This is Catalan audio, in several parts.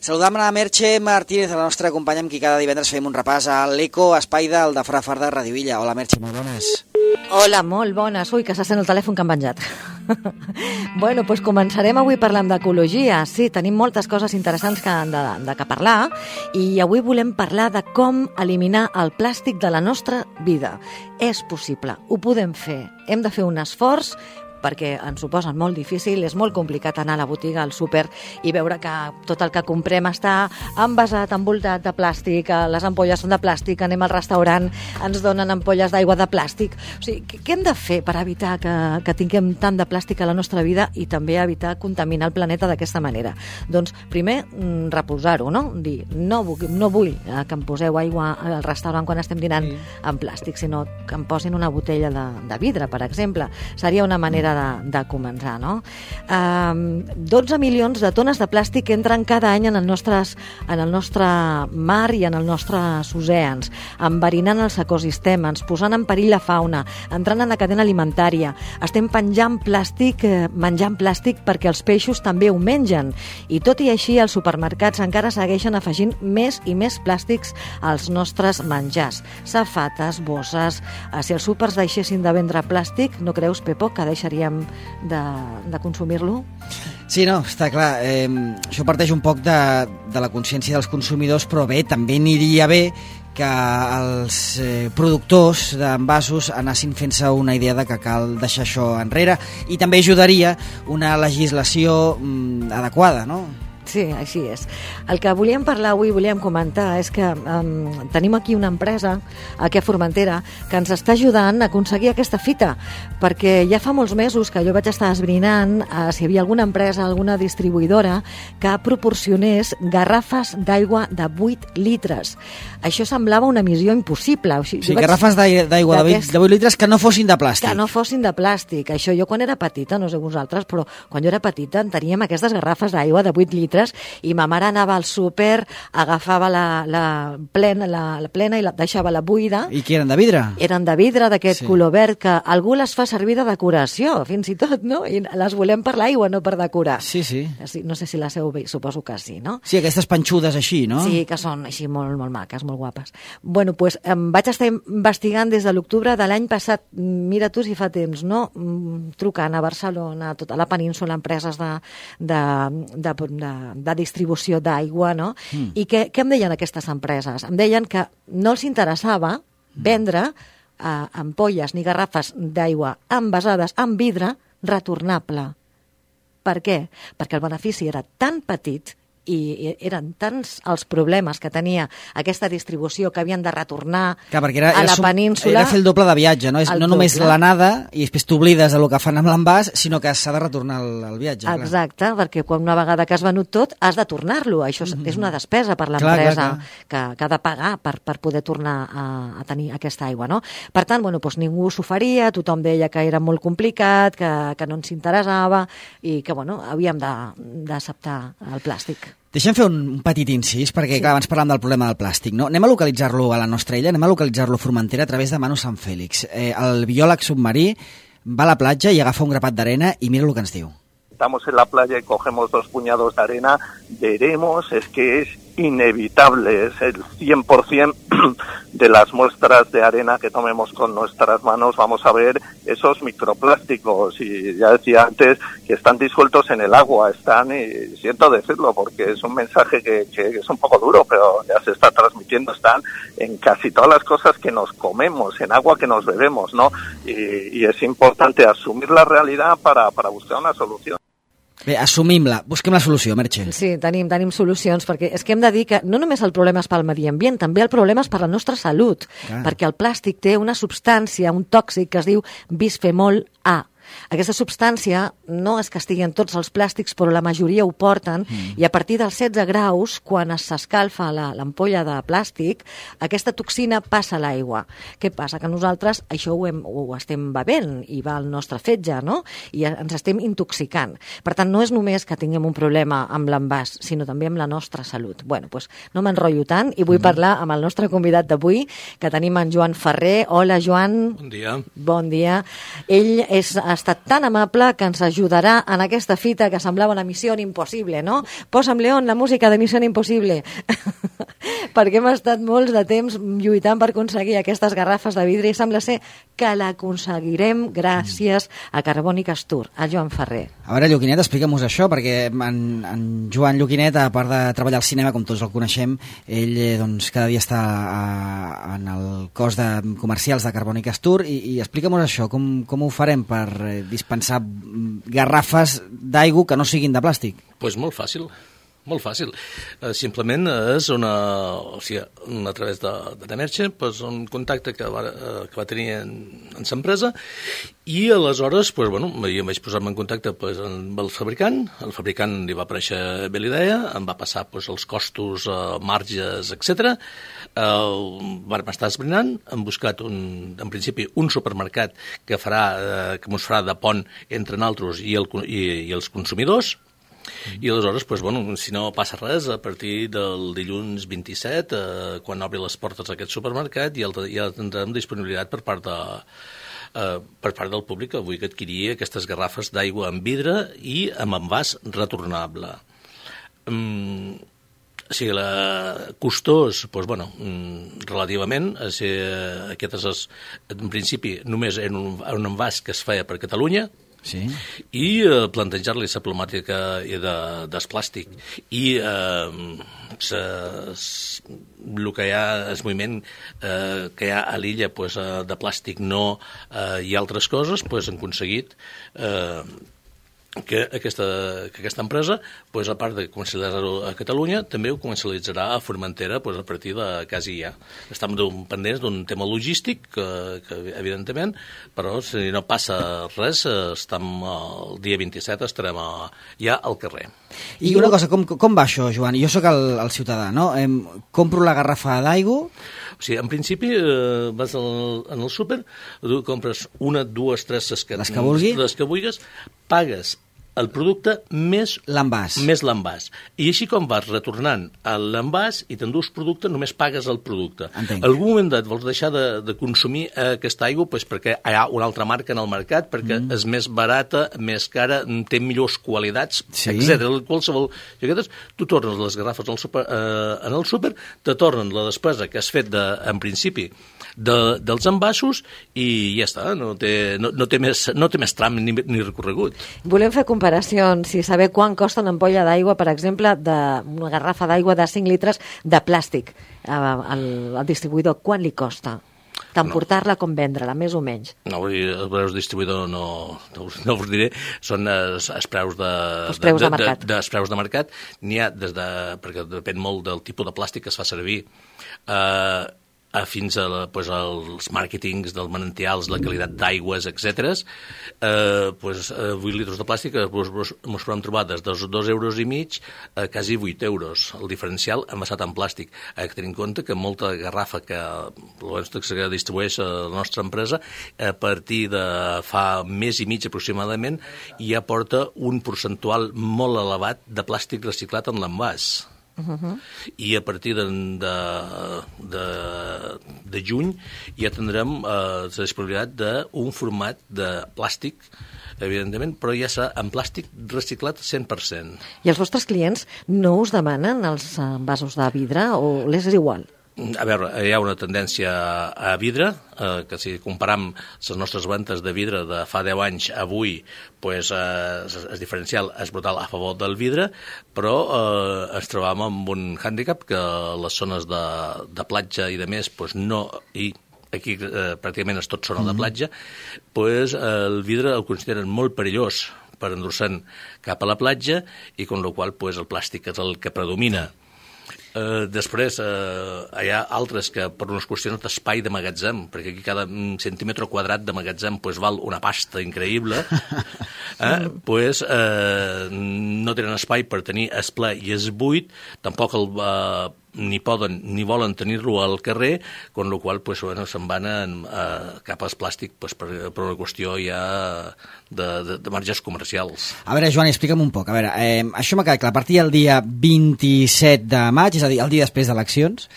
Saludam la Merche Martínez, la nostra companya amb qui cada divendres fem un repàs a l'Eco Espai del de Fra Far de Radio Illa. Hola Merche, molt bones. Hola, molt bones. Ui, que se sent el telèfon que han penjat. Bueno, doncs començarem avui parlant d'ecologia. Sí, tenim moltes coses interessants que parlar i avui volem parlar de com eliminar el plàstic de la nostra vida. És possible, ho podem fer. Hem de fer un esforç perquè ens ho posen molt difícil, és molt complicat anar a la botiga, al súper i veure que tot el que comprem està envasat, envoltat de plàstic, les ampolles són de plàstic, anem al restaurant, ens donen ampolles d'aigua de plàstic. O sigui, què hem de fer per evitar que tinguem tant de plàstic a la nostra vida i també evitar contaminar el planeta d'aquesta manera? Doncs primer, reposar-ho, no? Dir, no vull que em poseu aigua al restaurant quan estem dinant en plàstic, sinó que em posin una botella de vidre, per exemple. Seria una manera de començar, no? 12 milions de tones de plàstic entren cada any en el nostre mar i en els nostres oceans, enverinant els ecosistemes, posant en perill la fauna, entrant en la cadena alimentària. Estem menjant plàstic perquè els peixos també ho mengen. I tot i així, els supermercats encara segueixen afegint més i més plàstics als nostres menjars. Safates, bosses... Si els súpers deixessin de vendre plàstic, no creus, Pepo, que deixaríem de consumir-lo? Sí, no, està clar. Això parteix un poc de la consciència dels consumidors, però bé, també aniria bé que els productors d'envasos anessin fent-se una idea de que cal deixar això enrere, i també ajudaria una legislació adequada, no? Sí, així és. El que volíem parlar avui, volíem comentar, és que tenim aquí una empresa, aquí a Formentera, que ens està ajudant a aconseguir aquesta fita, perquè ja fa molts mesos que jo vaig estar esbrinant si hi havia alguna empresa, alguna distribuïdora que proporcionés garrafes d'aigua de 8 litres. Això semblava una missió impossible. O sigui, garrafes d'aigua de 8 litres que no fossin de plàstic. Que no fossin de plàstic. Això jo quan era petita, no sé vosaltres, però quan jo era petita en teníem aquestes garrafes d'aigua de 8 litres i ma mare anava al súper, agafava la plena i la deixava la buida. I que eren de vidre? Eren de vidre, d'aquest color verd, que algú les fa servir de decoració, fins i tot, no? I les volem per l'aigua, no per decorar. Sí. No sé si les heu vist, suposo que sí, no? Sí, aquestes panxudes així, no? Sí, que són així molt, molt maques, molt guapes. Bueno, doncs vaig estar investigant des de l'octubre de l'any passat, mira tu si fa temps, no? Trucant a Barcelona, a tota la península, empreses de distribució d'aigua, no? I què em deien aquestes empreses? Em deien que no els interessava vendre ampolles ni garrafes d'aigua envasades en vidre retornable. Per què? Perquè el benefici era tan petit i eren tants els problemes que tenia aquesta distribució que havien de retornar a la península. Era fer el doble de viatge, no? No només l'anada i després t'oblides del que fan amb l'envàs, sinó que s'ha de retornar el viatge. Exacte, perquè una vegada que has venut tot has de tornar-lo. Això és una despesa per l'empresa que ha de pagar per poder tornar a tenir aquesta aigua, no? Per tant, ningú s'oferia, tothom deia que era molt complicat, que no ens interessava i que havíem d'acceptar el plàstic. Deixem fer un petit incís, perquè clar, abans parlàvem del problema del plàstic, no? Anem a localitzar-lo a la nostra illa, anem a localitzar-lo a Formentera a través de Manu Sant Fèlix. El biòleg submarí va a la platja i agafa un grapat d'arena i mira el que ens diu. Estamos en la playa y cogemos 2 puñados de arena, veremos, es que es inevitable, es el 100% de las muestras de arena que tomemos con nuestras manos, vamos a ver esos microplásticos, y ya decía antes que están disueltos en el agua, y siento decirlo porque es un mensaje que es un poco duro, pero ya se está transmitiendo, están en casi todas las cosas que nos comemos, en agua que nos bebemos, ¿no? Y es importante asumir la realidad para buscar una solución. Bé, assumim-la, busquem la solució, Merche. Sí, tenim solucions, perquè és que hem de dir que no només el problema és pel medi ambient, també el problema és per la nostra salut, perquè el plàstic té una substància, un tòxic que es diu bisfenol A. Aquesta substància no és que estigui en tots els plàstics, però la majoria ho porten, i a partir dels 16 graus, quan s'escalfa l'ampolla de plàstic, aquesta toxina passa a l'aigua. Què passa? Que nosaltres això ho estem bevent i va al nostre fetge, no? I ens estem intoxicant. Per tant, no és només que tinguem un problema amb l'envàs, sinó també amb la nostra salut. Bueno, doncs no m'enrotllo tant i vull parlar amb el nostre convidat d'avui, que tenim en Joan Ferrer. Hola, Joan. Bon dia. Bon dia. Ell és estat tan amable que ens ajudarà en aquesta fita que semblava una missió impossible, no? Posa'm, León, la música de Missió Impossible. Perquè hem estat molts de temps lluitant per aconseguir aquestes garrafes de vidre i sembla ser que l'aconseguirem gràcies a Carbònic Astur, a Joan Ferrer. A veure, Lluquinet, explica'm-nos això, perquè en Joan Lluquinet, a part de treballar al cinema, com tots el coneixem, ell doncs, cada dia està en el cos de comercials de Carbònic Astur i explica'm-nos això, com ho farem per dispensar garrafes d'aigua que no siguin de plàstic? Doncs molt fàcil. Molt fàcil. Simplement és a través de Nemerche, un contacte que va tenir en l'empresa i aleshores jo em vaig posar-me en contacte amb el fabricant li va aparèixer bé l'idea, em va passar els costos, marges, etc. Vam estar esbrinant, hem buscat en principi un supermercat que mos farà de pont entre nosaltres i els consumidors. I aleshores, si no passa res, a partir del dilluns 27, quan obri les portes d'aquest supermercat, ja tindrem disponibilitat per part del públic que vulgui adquirir aquestes garrafes d'aigua en vidre i amb envàs retornable. Costós, relativament, aquest és, en principi, només un envàs que es feia per Catalunya, sí. I plantejar-li la problemàtica del plàstic i el que hi ha, el moviment que hi ha a l'illa de plàstic i altres coses, han aconseguit que aquesta empresa, a part de comercialitzar-ho a Catalunya, també ho comercialitzarà a Formentera a partir de quasi ja. Estem pendents d'un tema logístic, que evidentment, però si no passa res, el dia 27 estarem ja al carrer. I una cosa, com va això, Joan? Jo sóc el ciutadà, no? Compro la garrafa d'aigua... O sigui, en principi, vas en el súper, tu compres una, dues, tres, les que vulguis, pagues el producte més l'envàs. I així com vas retornant l'envàs i t'endús producte, només pagues el producte. Entenc. En algun moment vols deixar de consumir aquesta aigua perquè hi ha una altra marca en el mercat, perquè és més barata, més cara, té millors qualitats, etc. Qualsevol... Tu tornes les garrafes en el súper, te tornen la despesa que has fet en principi dels envasos i ja està, no té més tram ni recorregut. Volem fer comparacions i saber quant costa una ampolla d'aigua, per exemple, una garrafa d'aigua de 5 litres de plàstic al distribuïdor. Quan li costa? Tant portar-la com vendre-la, més o menys. No, els preus distribuïdor no us diré, són els preus de mercat. Els preus de mercat. N'hi ha perquè depèn molt del tipus de plàstic que es fa servir, fins als màrquetings dels manantials, la qualitat d'aigües, etc. 8 litres de plàstic ens podem trobar des dels 2,5 euros a quasi 8 euros, el diferencial envasat en plàstic. Hay que tenir en compte que molta garrafa que distribueix la nostra empresa, a partir de fa mes i mig aproximadament, ja porta un percentual molt elevat de plàstic reciclat en l'envàs. I a partir de juny ja tindrem la disponibilitat d'un format de plàstic, evidentment, però ja serà en plàstic reciclat 100%. I els vostres clients no us demanen els envasos de vidre o les és igual? A veure, hi ha una tendència a vidre, que si comparam les nostres ventes de vidre de fa 10 anys a avui, el diferencial és brutal a favor del vidre, però ens trobam amb un hàndicap que les zones de platja i de més, no... Aquí pràcticament és tot zona de platja, el vidre el consideren molt perillós per endur-se'n cap a la platja i amb la qual cosa el plàstic és el que predomina. Després hi ha altres que per unes qüestions d'espai de magatzem, perquè aquí cada centímetre quadrat de magatzem val una pasta increïble, no tenen espai per tenir el ple i el buit, tampoc ni poden ni volen tenir-lo al carrer, con lo qual pues, bueno, se'n van cap al plàstic pues, per una qüestió ja de marges comercials. A veure, Joan, explica'm un poc. A veure, això m'ha quedat clar. A partir del dia 27 de maig, és a dir, el dia després d'eleccions,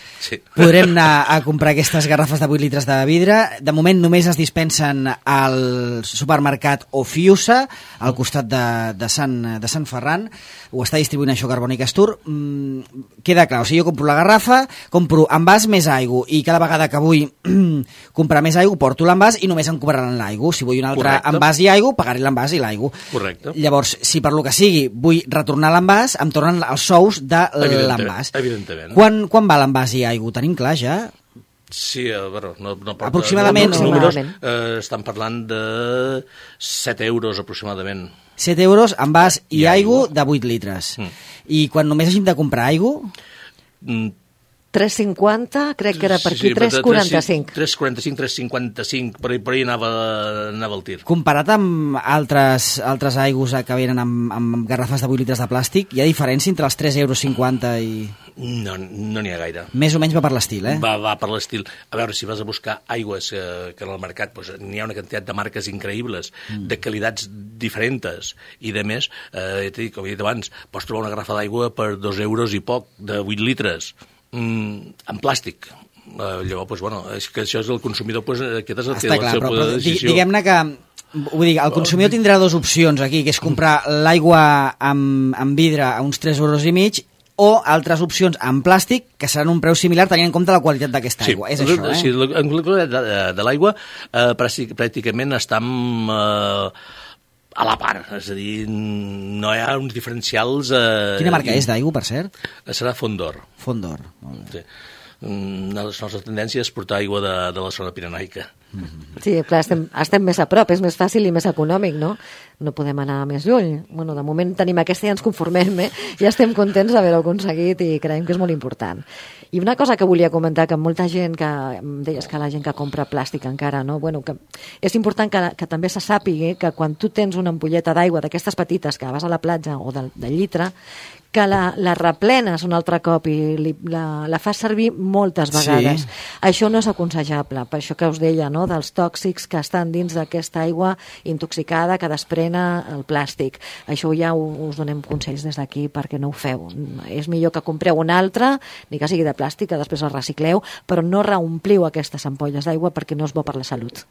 podrem anar a comprar aquestes garrafes de 8 litres de vidre. De moment només es dispensen al supermercat Ofiusa, al costat de Sant Ferran. Ho està distribuint això Carboni Castur. Queda clar, o sigui, jo compro la garrafa, compro envàs més aigua, i cada vegada que vull comprar més aigua, porto l'envàs i només em cobraran l'aigua. Si vull un altre envàs i aigua, pagaré l'envàs i l'aigua. Correcte. Llavors, si per lo que sigui vull retornar l'envàs, em tornen els sous de l'envàs. Evidentment. Quan va l'envàs i aigua? Ho tenim clar ja? Sí, bueno, no aproximadament. Els números estan parlant de 7 euros aproximadament. 7 euros envàs i aigua de 8 litres. I quan només hagin de comprar aigua? 3,50, crec que era per aquí, 3,45. 3,45, 3,55, per ahí anava el tir. Comparat amb altres aigües que venen amb garrafes de 8 litres de plàstic, hi ha diferència entre els 3,50 euros i... No n'hi ha gaire. Més o menys va per l'estil, eh? Va per l'estil. A veure, si vas a buscar aigües que en el mercat pues, n'hi ha una quantitat de marques increïbles, de qualitats diferents, i de més, com he dit abans, pots trobar una garrafa d'aigua per 2 euros i poc, de 8 litres, en plàstic. Llavors, pues, bueno, és que això és el consumidor, pues, aquest és el seu poder de decisió. Diguem-ne que, vull dir, el consumidor tindrà dues opcions aquí, que és comprar l'aigua amb vidre a uns 3,5 euros, o altres opcions en plàstic, que seran un preu similar tenint en compte la qualitat d'aquesta aigua. És això, eh? Sí, en qualitat de l'aigua pràcticament estem a la part, és a dir, no hi ha uns diferencials... Quina marca és d'aigua, per cert? Serà Fondor. Fondor, molt bé. Sí. La nostra tendència és portar aigua de la zona pirenaica. Sí, clar, estem més a prop, és més fàcil i més econòmic, no? No podem anar més lluny. Bueno, de moment tenim aquesta i ens conformem, ja estem contents d'haver-ho aconseguit i creiem que és molt important. I una cosa que volia comentar, que molta gent, que em deies que la gent que compra plàstic encara, no? Bueno, que és important que també se sàpiga que quan tu tens una ampolleta d'aigua d'aquestes petites que vas a la platja o de llitre, que la replenes un altre cop i la fas servir moltes vegades. Sí. Això no és aconsellable, per això que us deia, no?, dels tòxics que estan dins d'aquesta aigua intoxicada que desprena el plàstic. Això ja us donem consells des d'aquí perquè no ho feu. És millor que compreu una altra, ni que sigui de plàstic, que després el recicleu, però no reompliu aquestes ampolles d'aigua perquè no és bo per la salut.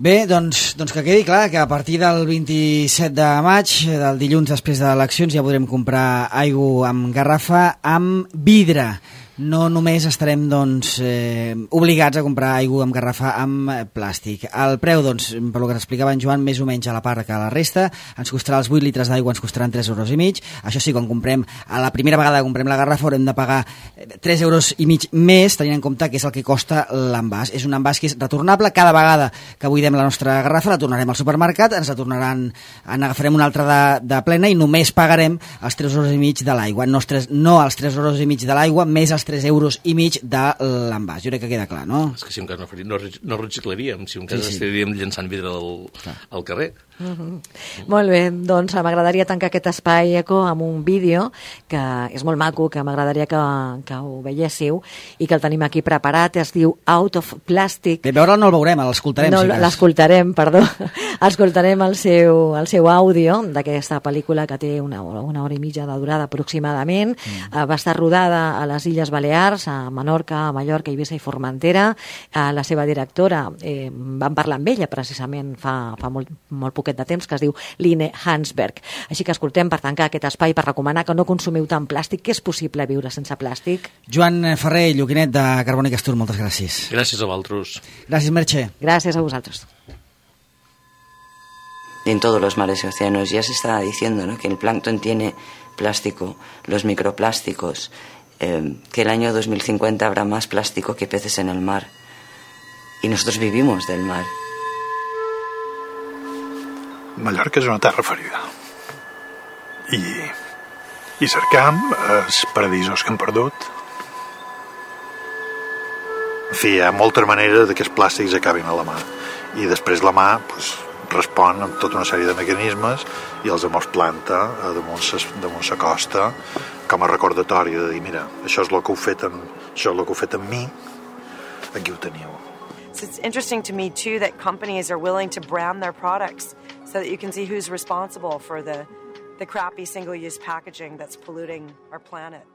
Bé, doncs que quedi clar que a partir del 27 de maig, del dilluns després de eleccions, ja podrem comprar aigua amb garrafa amb vidre. No només estarem obligats a comprar aigua amb garrafa amb plàstic. El preu, per lo que explicava en Joan, més o menys a la part que la resta, ens costarà els 8 litres d'aigua, ens costaran 3,5 euros. Això sí, quan comprem, a la primera vegada que comprem la garrafa haurem de pagar 3,5 euros més, tenint en compte que és el que costa l'envàs. És un envàs que és retornable. Cada vegada que buidem la nostra garrafa la tornarem al supermercat, ens la tornaran, agafarem una altra de plena i només pagarem els 3,5 euros de l'aigua. No els 3,5 euros de l'aigua, més els 3,5 euros de l'envàs. Jo crec que queda clar, no? És que si un cas no reciclaríem, si un cas estaríem llançant vidre al carrer. Molt bé, doncs m'agradaria tancar aquest espai eco amb un vídeo que és molt maco, que m'agradaria que ho veiéssiu i que el tenim aquí preparat, es diu Out of Plastic. De veure'l no el veurem, l'escoltarem. No, l'escoltarem, perdó. Escoltarem el seu àudio d'aquesta pel·lícula que té una hora i mitja de durada aproximadament. Va estar rodada a les Illes Balears, a Menorca, a Mallorca, Eivissa i Formentera. La seva directora, vam parlar amb ella precisament fa molt poquet de temps, que es diu Line Hansberg. Així que escoltem per tancar aquest espai, per recomanar que no consumiu tant plàstic, que és possible viure sense plàstic. Joan Ferrer, Lluquinet de Carboni Castur, moltes gràcies. Gràcies a vosaltres. Gràcies, Merche. Gràcies a vosaltres. En todos los mares y océanos ya se está diciendo, ¿no?, que el plancton tiene plástico, los microplásticos, que el año 2050 habrá más plástico que peces en el mar. Y nosotros vivimos del mar. Mallorca és una terra ferida i cercam els paradisos que hem perdut. En fi, hi ha moltes maneres que els plàstics acabin a la mà i després la mà respon amb tota una sèrie de mecanismes i els mos planta damunt sa costa com a recordatori de dir, mira, això és el que heu fet amb mi, aquí ho teniu. So it's interesting to me too that companies are willing to brand their products so that you can see who's responsible for the crappy single-use packaging that's polluting our planet.